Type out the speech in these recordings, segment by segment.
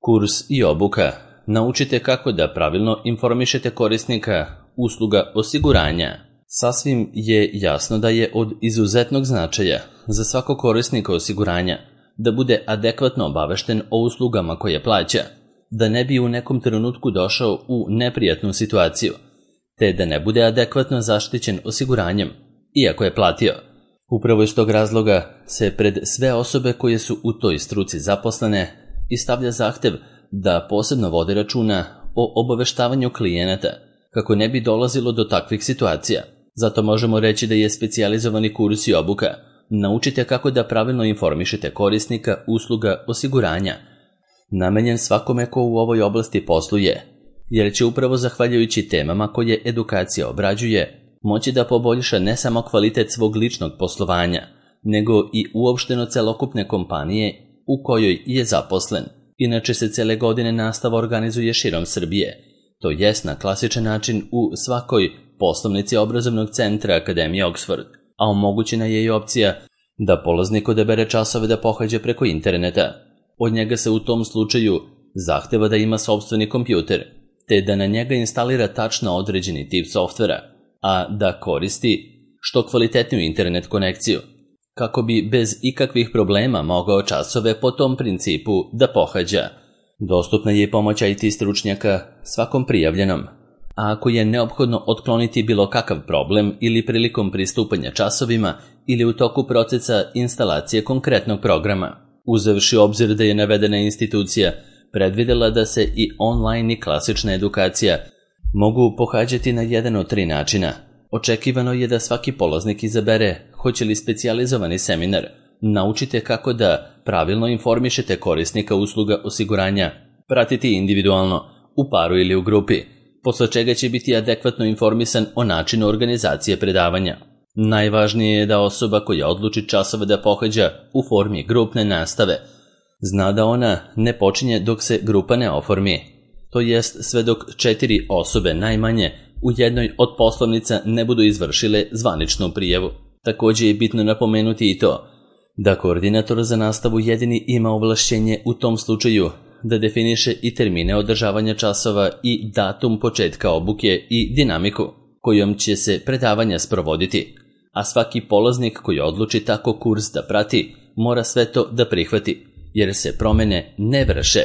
Kurs i obuka. Naučite kako da pravilno informišete korisnika usluga osiguranja. Sasvim je jasno da je od izuzetnog značaja za svakog korisnika osiguranja da bude adekvatno obavešten o uslugama koje plaća, da ne bi u nekom trenutku došao u neprijatnu situaciju, te da ne bude adekvatno zaštićen osiguranjem, iako je platio. Upravo iz tog razloga se pred sve osobe koje su u toj struci zaposlene i stavlja zahtev da posebno vode računa o obaveštavanju klijenata kako ne bi dolazilo do takvih situacija. Zato možemo reći da je specijalizovani kurs i obuka. Naučite kako da pravilno informišete korisnika usluga osiguranja, namenjen svakome ko u ovoj oblasti posluje, jer će upravo zahvaljujući temama koje edukacija obrađuje moći da poboljša ne samo kvalitet svog ličnog poslovanja, nego i uopšteno celokupne kompanije u kojoj je zaposlen. Inače se cele godine nastava organizuje širom Srbije, to jest na klasičan način u svakoj poslovnici obrazovnog centra Akademije Oxford, a omogućena je i opcija da polaznik odabere časove da pohađa preko interneta. Od njega se u tom slučaju zahteva da ima sopstveni kompjuter, te da na njega instalira tačno određeni tip softvera, a da koristi što kvalitetniju internet konekciju, kako bi bez ikakvih problema mogao časove po tom principu da pohađa. Dostupna je pomoć IT stručnjaka svakom prijavljenom, a ako je neophodno otkloniti bilo kakav problem ili prilikom pristupanja časovima ili u toku procesa instalacije konkretnog programa, uzevši obzir da je navedena institucija predvidela da se i online i klasična edukacija mogu pohađati na jedan od 3 načina. Očekivano je da svaki polaznik izabere hoće li specijalizovani seminar. Naučite kako da pravilno informišete korisnika usluga osiguranja, pratiti individualno, u paru ili u grupi, posle čega će biti adekvatno informisan o načinu organizacije predavanja. Najvažnije je da osoba koja odluči časove da pohađa u formi grupne nastave zna da ona ne počinje dok se grupa ne oformi, to jest sve dok 4 osobe najmanje u jednoj od poslovnica ne budu izvršile zvaničnu prijavu. Također je bitno napomenuti i to da koordinator za nastavu jedini ima ovlašćenje u tom slučaju da definiše i termine održavanja časova i datum početka obuke i dinamiku kojom će se predavanja sprovoditi, a svaki polaznik koji odluči tako kurs da prati mora sve to da prihvati, jer se promene ne vrše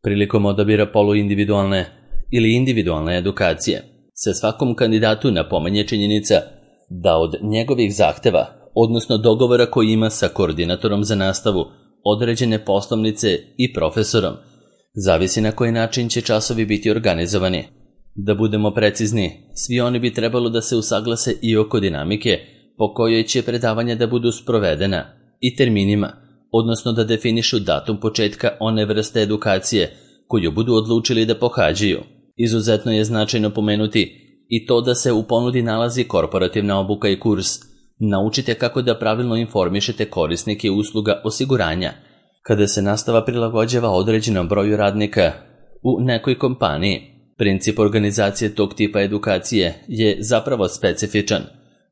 prilikom odabira poluindividualne ili individualne edukacije. Se svakom kandidatu napominje činjenica da od njegovih zahteva, odnosno dogovora koji ima sa koordinatorom za nastavu, određene poslovnice i profesorom, zavisi na koji način će časovi biti organizovani. Da budemo precizni, svi oni bi trebalo da se usaglase i oko dinamike po kojoj će predavanja da budu sprovedena i terminima, odnosno da definišu datum početka one vrste edukacije koju budu odlučili da pohađaju. Izuzetno je značajno pomenuti i to da se u ponudi nalazi korporativna obuka i kurs. Naučite kako da pravilno informišete korisnike usluga osiguranja kada se nastava prilagođava određenom broju radnika u nekoj kompaniji. Princip organizacije tog tipa edukacije je zapravo specifičan,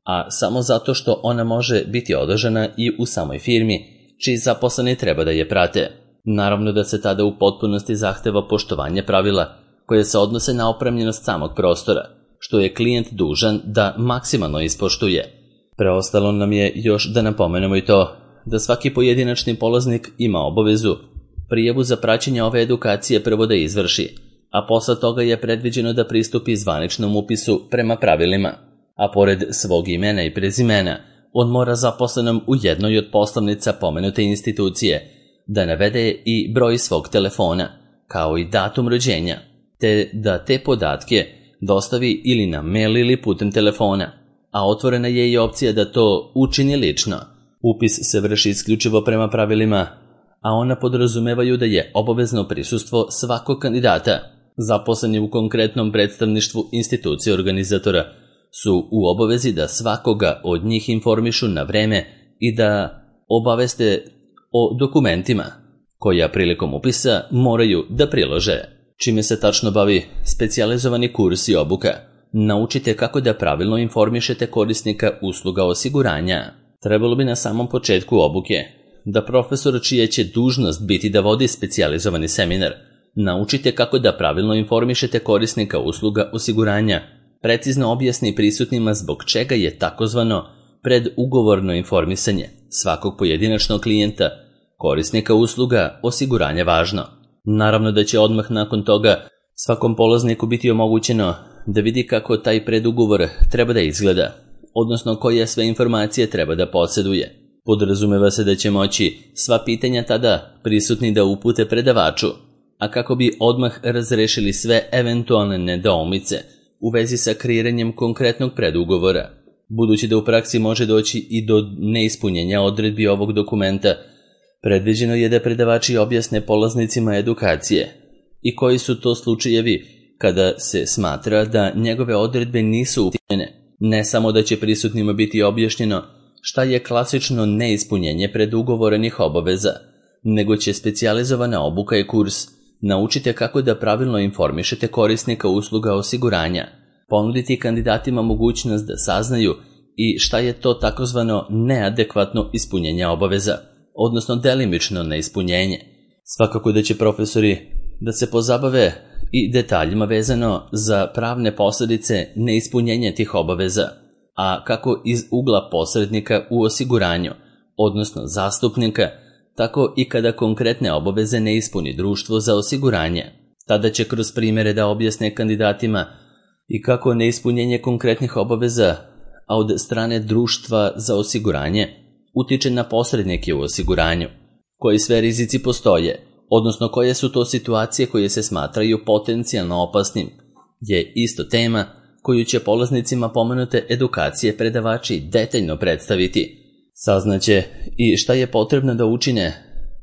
a samo zato što ona može biti održana i u samoj firmi čiji zaposleni treba da je prate. Naravno da se tada u potpunosti zahteva poštovanje pravila koje se odnose na opremljenost samog prostora, što je klijent dužan da maksimalno ispoštuje. Preostalo nam je još da napomenemo i to da svaki pojedinačni polaznik ima obavezu prijavu za praćenje ove edukacije prvo da izvrši, a posle toga je predviđeno da pristupi zvaničnom upisu prema pravilima, a pored svog imena i prezimena on mora zaposlenom u jednoj od poslovnica pomenute institucije da navede i broj svog telefona, kao i datum rođenja, te da te podatke dostavi ili na mail ili putem telefona, a otvorena je i opcija da to učini lično. Upis se vrši isključivo prema pravilima, a ona podrazumevaju da je obavezno prisustvo svakog kandidata. Zaposleni u konkretnom predstavništvu institucije organizatora su u obavezi da svakoga od njih informišu na vreme i da obaveste o dokumentima koja prilikom upisa moraju da prilože. Čime se tačno bavi specijalizovani kurs i obuka? Naučite kako da pravilno informišete korisnika usluga osiguranja. Trebalo bi na samom početku obuke da profesor čija će dužnost biti da vodi specijalizovani seminar naučite kako da pravilno informišete korisnika usluga osiguranja, precizno objasni prisutnima zbog čega je takozvano predugovorno informisanje svakog pojedinačnog klijenta, korisnika usluga osiguranja važno. Naravno da će odmah nakon toga svakom polazniku biti omogućeno da vidi kako taj predugovor treba da izgleda, odnosno koje sve informacije treba da posjeduje. Podrazumeva se da će moći sva pitanja tada prisutni da upute predavaču, a kako bi odmah razrešili sve eventualne nedoumice u vezi sa kreiranjem konkretnog predugovora. Budući da u praksi može doći i do neispunjenja odredbi ovog dokumenta, predviđeno je da predavači objasne polaznicima edukacije i koji su to slučajevi kada se smatra da njegove odredbe nisu ispunjene. Ne samo da će prisutnima biti objašnjeno šta je klasično neispunjenje predugovorenih obaveza, nego će specijalizovana obuka i kurs naučite kako da pravilno informišete korisnika usluga osiguranja, ponuditi kandidatima mogućnost da saznaju i šta je to takozvano neadekvatno ispunjenje obaveza, odnosno delimično neispunjenje. Svakako da će profesori da se pozabave i detaljima vezano za pravne posljedice neispunjenja tih obaveza, a kako iz ugla posrednika u osiguranju, odnosno zastupnika, tako i kada konkretne obaveze ne ispuni društvo za osiguranje. Tada će kroz primjere da objasne kandidatima i kako neispunjenje konkretnih obaveza, a od strane društva za osiguranje, utiče na posrednike u osiguranju, koji sve rizici postoje, odnosno koje su to situacije koje se smatraju potencijalno opasnim, je isto tema koju će polaznicima pomenute edukacije predavači detaljno predstaviti. Saznaće i šta je potrebno da učine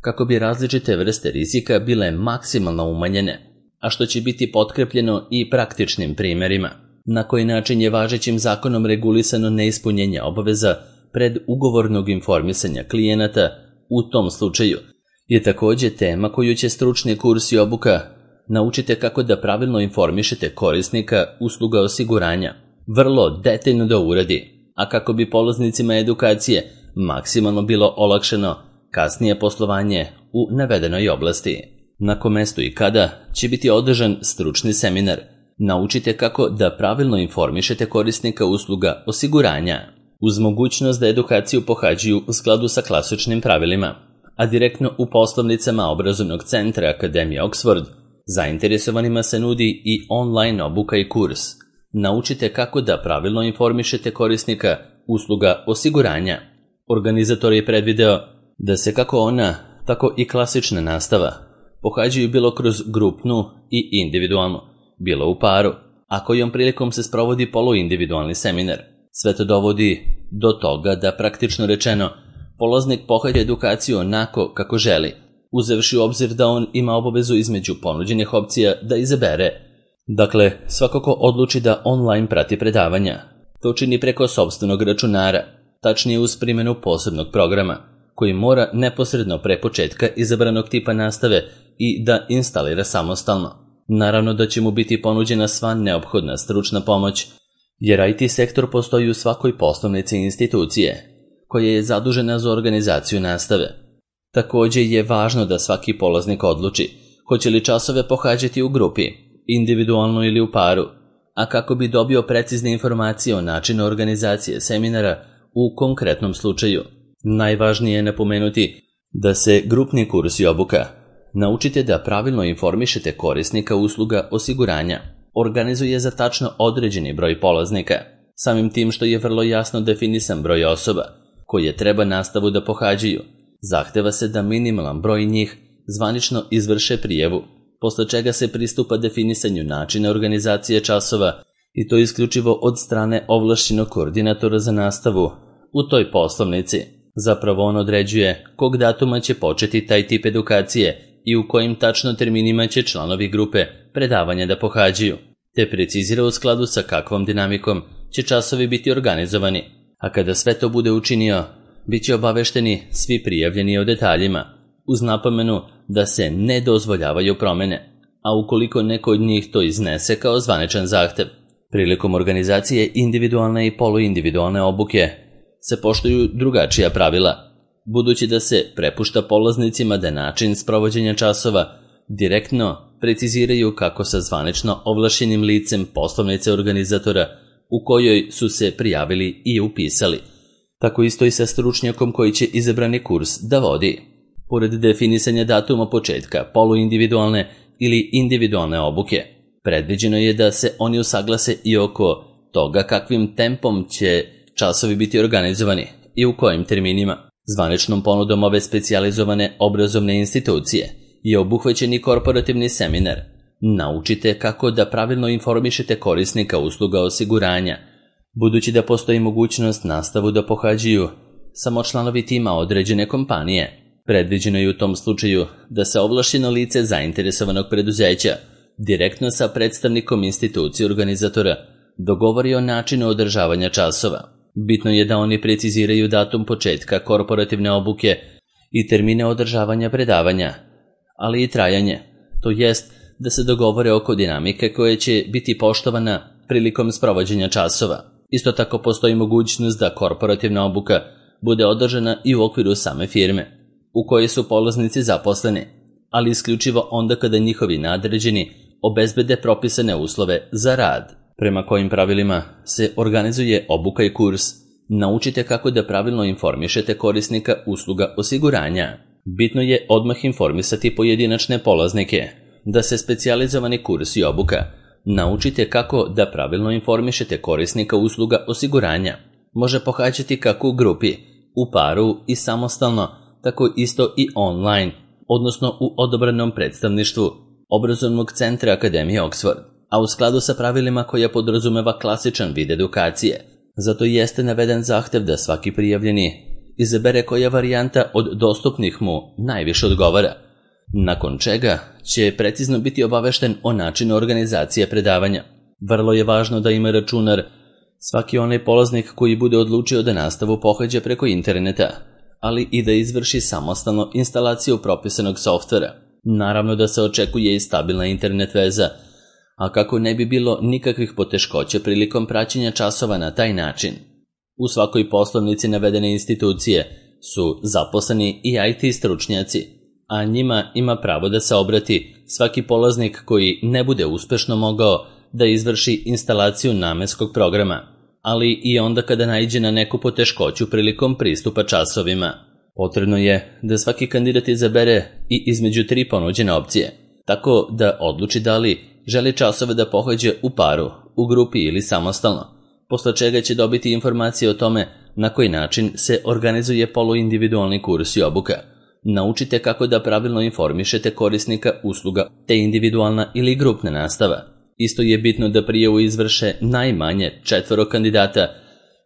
kako bi različite vrste rizika bile maksimalno umanjene, a što će biti potkrepljeno i praktičnim primjerima. Na koji način je važećim zakonom regulisano neispunjenje obaveza predugovornog informisanja klijenata u tom slučaju je također tema koju će stručni kurs i obuka naučite kako da pravilno informišete korisnika usluga osiguranja, vrlo detaljno da uradi, a kako bi polaznicima edukacije maksimalno bilo olakšano kasnije poslovanje u navedenoj oblasti. Na kom mestu i kada će biti održan stručni seminar, naučite kako da pravilno informišete korisnika usluga osiguranja, uz mogućnost da edukaciju pohađaju u skladu sa klasičnim pravilima, a direktno u poslovnicama obrazovnog centra Akademije Oxford. Zainteresovanima se nudi i online obuka i kurs. Naučite kako da pravilno informišete korisnika usluga osiguranja. Organizator je predvideo da se kako ona, tako i klasična nastava pohađaju bilo kroz grupnu i individualnu, bilo u paru, a kojom prilikom se sprovodi poluindividualni seminar. Sve to dovodi do toga da, praktično rečeno, polaznik pohađa edukaciju onako kako želi, uzevši u obzir da on ima obavezu između ponuđenih opcija da izabere. Dakle, svako ko odluči da online prati predavanja, to čini preko sopstvenog računara, tačnije uz primjenu posebnog programa, koji mora neposredno pre početka izabranog tipa nastave i da instalira samostalno. Naravno da će mu biti ponuđena sva neophodna stručna pomoć, jer IT sektor postoji u svakoj poslovnici institucije, koja je zadužena za organizaciju nastave. Također je važno da svaki polaznik odluči hoće li časove pohađati u grupi, individualno ili u paru, a kako bi dobio precizne informacije o načinu organizacije seminara u konkretnom slučaju. Najvažnije je napomenuti da se grupni kurs i obuka naučite da pravilno informišete korisnika usluga osiguranja organizuje za tačno određeni broj polaznika, samim tim što je vrlo jasno definisan broj osoba koje treba nastavu da pohađaju. Zahteva se da minimalan broj njih zvanično izvrše prijavu, posle čega se pristupa definisanju načina organizacije časova i to isključivo od strane ovlašćenog koordinatora za nastavu u toj poslovnici. Zapravo on određuje kog datuma će početi taj tip edukacije i u kojim tačno terminima će članovi grupe predavanja da pohađaju, te precizira u skladu sa kakvom dinamikom će časovi biti organizovani, a kada sve to bude učinio, bit će obavešteni svi prijavljeni o detaljima, uz napomenu da se ne dozvoljavaju promjene, a ukoliko neko od njih to iznese kao zvaničan zahtev. Prilikom organizacije individualne i poluindividualne obuke se poštuju drugačija pravila, budući da se prepušta polaznicima da način sprovođenja časova direktno preciziraju kako sa zvanično ovlašćenim licem poslovnice organizatora u kojoj su se prijavili i upisali. Tako isto i sa stručnjakom koji će izabrani kurs da vodi. Pored definisanja datuma početka poluindividualne ili individualne obuke, predviđeno je da se oni usaglase i oko toga kakvim tempom će časovi biti organizovani i u kojim terminima. Zvaničnom ponudom ove specijalizovane obrazovne institucije je obuhvaćen i korporativni seminar. Naučite kako da pravilno informišete korisnika usluga osiguranja. Budući da postoji mogućnost nastavu da pohađaju samo članovi tima određene kompanije, predviđeno je u tom slučaju da se ovlašćeno lice zainteresovanog preduzeća direktno sa predstavnikom institucije organizatora dogovori o načinu održavanja časova. Bitno je da oni preciziraju datum početka korporativne obuke i termine održavanja predavanja, ali i trajanje, to jest da se dogovore oko dinamike koja će biti poštovana prilikom sprovođenja časova. Isto tako postoji mogućnost da korporativna obuka bude održana i u okviru same firme u kojoj su polaznici zaposleni, ali isključivo onda kada njihovi nadređeni obezbede propisane uslove za rad. Prema kojim pravilima se organizuje obuka i kurs, naučite kako da pravilno informišete korisnika usluga osiguranja. Bitno je odmah informisati pojedinačne polaznike da se specijalizovani kurs i obuka naučite kako da pravilno informišete korisnika usluga osiguranja. Može pohađati kako u grupi, u paru i samostalno, tako isto i online, odnosno u odabranom predstavništvu Obrazovnog centra Akademije Oxford, a u skladu sa pravilima koja podrazumeva klasičan vid edukacije. Zato jeste naveden zahtev da svaki prijavljeni izabere koja varijanta od dostupnih mu najviše odgovara, nakon čega će precizno biti obavešten o načinu organizacije predavanja. Vrlo je važno da ima računar svaki onaj polaznik koji bude odlučio da nastavu pohađa preko interneta, ali i da izvrši samostalno instalaciju propisanog softvera. Naravno da se očekuje i stabilna internet veza, a kako ne bi bilo nikakvih poteškoća prilikom praćenja časova na taj način. U svakoj poslovnici navedene institucije su zaposleni i IT stručnjaci, a njima ima pravo da se obrati svaki polaznik koji ne bude uspešno mogao da izvrši instalaciju namenskog programa, ali i onda kada naiđe na neku poteškoću prilikom pristupa časovima. Potrebno je da svaki kandidat izabere i između 3 ponuđene opcije, tako da odluči da li želi časove da pohađa u paru, u grupi ili samostalno, posle čega će dobiti informacije o tome na koji način se organizuje poluindividualni kurs i obuka. Naučite kako da pravilno informišete korisnika usluga te individualna ili grupna nastava. Isto je bitno da prijavu izvrše najmanje 4 kandidata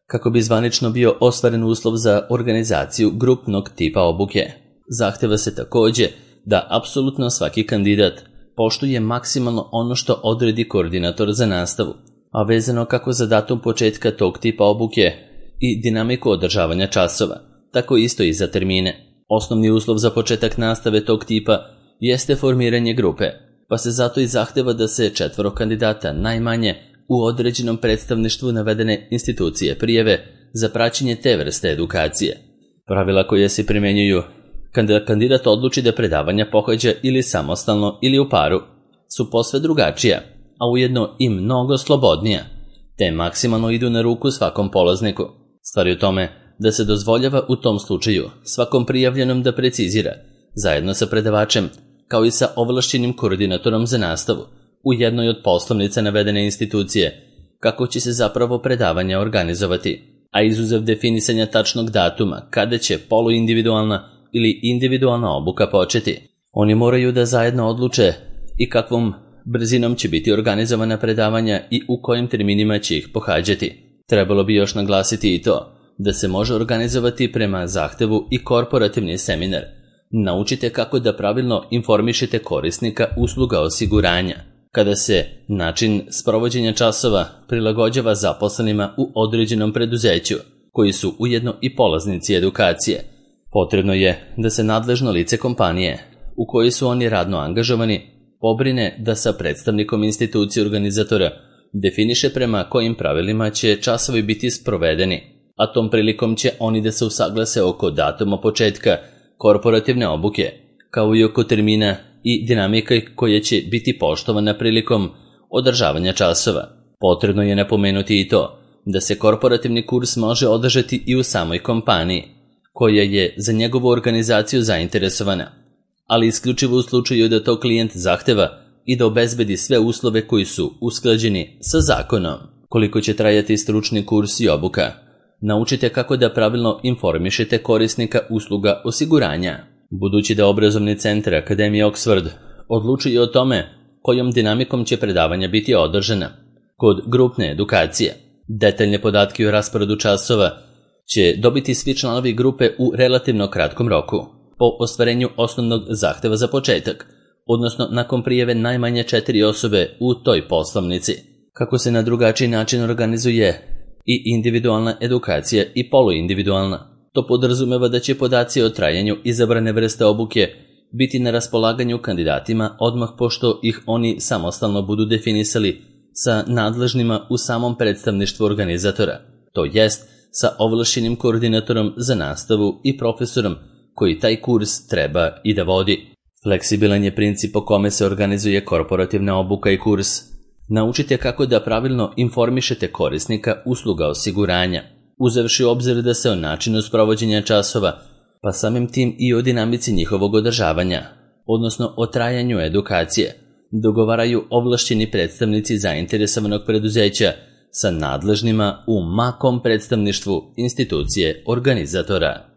kako bi zvanično bio ostvaren uslov za organizaciju grupnog tipa obuke. Zahteva se takođe da apsolutno svaki kandidat poštuje maksimalno ono što odredi koordinator za nastavu, a vezano kako za datum početka tog tipa obuke i dinamiku održavanja časova, tako isto i za termine. Osnovni uslov za početak nastave tog tipa jeste formiranje grupe, pa se zato i zahteva da se 4 kandidata najmanje u određenom predstavništvu navedene institucije prijave za praćenje te vrste edukacije. Pravila koje se primenjuju kada kandidat odluči da predavanja pohađa ili samostalno ili u paru su posve drugačija, a ujedno i mnogo slobodnija, te maksimalno idu na ruku svakom polazniku. Stvar je u tome da se dozvoljava u tom slučaju svakom prijavljenom da precizira, zajedno sa predavačem, kao i sa ovlašćenim koordinatorom za nastavu, u jednoj od poslovnica navedene institucije, kako će se zapravo predavanja organizovati, a izuzev definisanja tačnog datuma kada će poluindividualna ili individualna obuka početi. Oni moraju da zajedno odluče i kakvom brzinom će biti organizovana predavanja i u kojim terminima će ih pohađati. Trebalo bi još naglasiti i to da se može organizovati prema zahtevu i korporativni seminar. Naučite kako da pravilno informišete korisnika usluga osiguranja, kada se način sprovođenja časova prilagođava zaposlenima u određenom preduzeću, koji su ujedno i polaznici edukacije. Potrebno je da se nadležno lice kompanije, u kojoj su oni radno angažovani, pobrine da sa predstavnikom institucije organizatora definiše prema kojim pravilima će časovi biti sprovedeni, a tom prilikom će oni da se usaglase oko datuma početka korporativne obuke, kao i oko termina i dinamika koja će biti poštovana prilikom održavanja časova. Potrebno je napomenuti i to da se korporativni kurs može održati i u samoj kompaniji, koja je za njegovu organizaciju zainteresovana, ali isključivo u slučaju da to klijent zahteva i da obezbedi sve uslove koji su usklađeni sa zakonom. Koliko će trajati stručni kurs i obuka? Naučite kako da pravilno informišete korisnika usluga osiguranja. Budući da obrazovni centar Akademije Oxford odlučuje o tome kojom dinamikom će predavanja biti održana, kod grupne edukacije, detaljne podatke o rasporedu časova će dobiti svi članovi grupe u relativno kratkom roku, po ostvarenju osnovnog zahteva za početak, odnosno nakon prijave najmanje 4 osobe u toj poslovnici. Kako se na drugačiji način organizuje i individualna edukacija i poluindividualna, to podrazumeva da će podaci o trajanju izabrane vrste obuke biti na raspolaganju kandidatima odmah pošto ih oni samostalno budu definisali sa nadležnima u samom predstavništvu organizatora, to jest sa ovlašćenim koordinatorom za nastavu i profesorom koji taj kurs treba i da vodi. Fleksibilan je princip po kome se organizuje korporativna obuka i kurs. Naučite kako da pravilno informišete korisnika usluga osiguranja, uzevši u obzir da se o načinu sprovođenja časova, pa samim tim i o dinamici njihovog održavanja, odnosno o trajanju edukacije, dogovaraju ovlašćeni predstavnici zainteresovanog preduzeća sa nadležnima u makom predstavništvu institucije organizatora.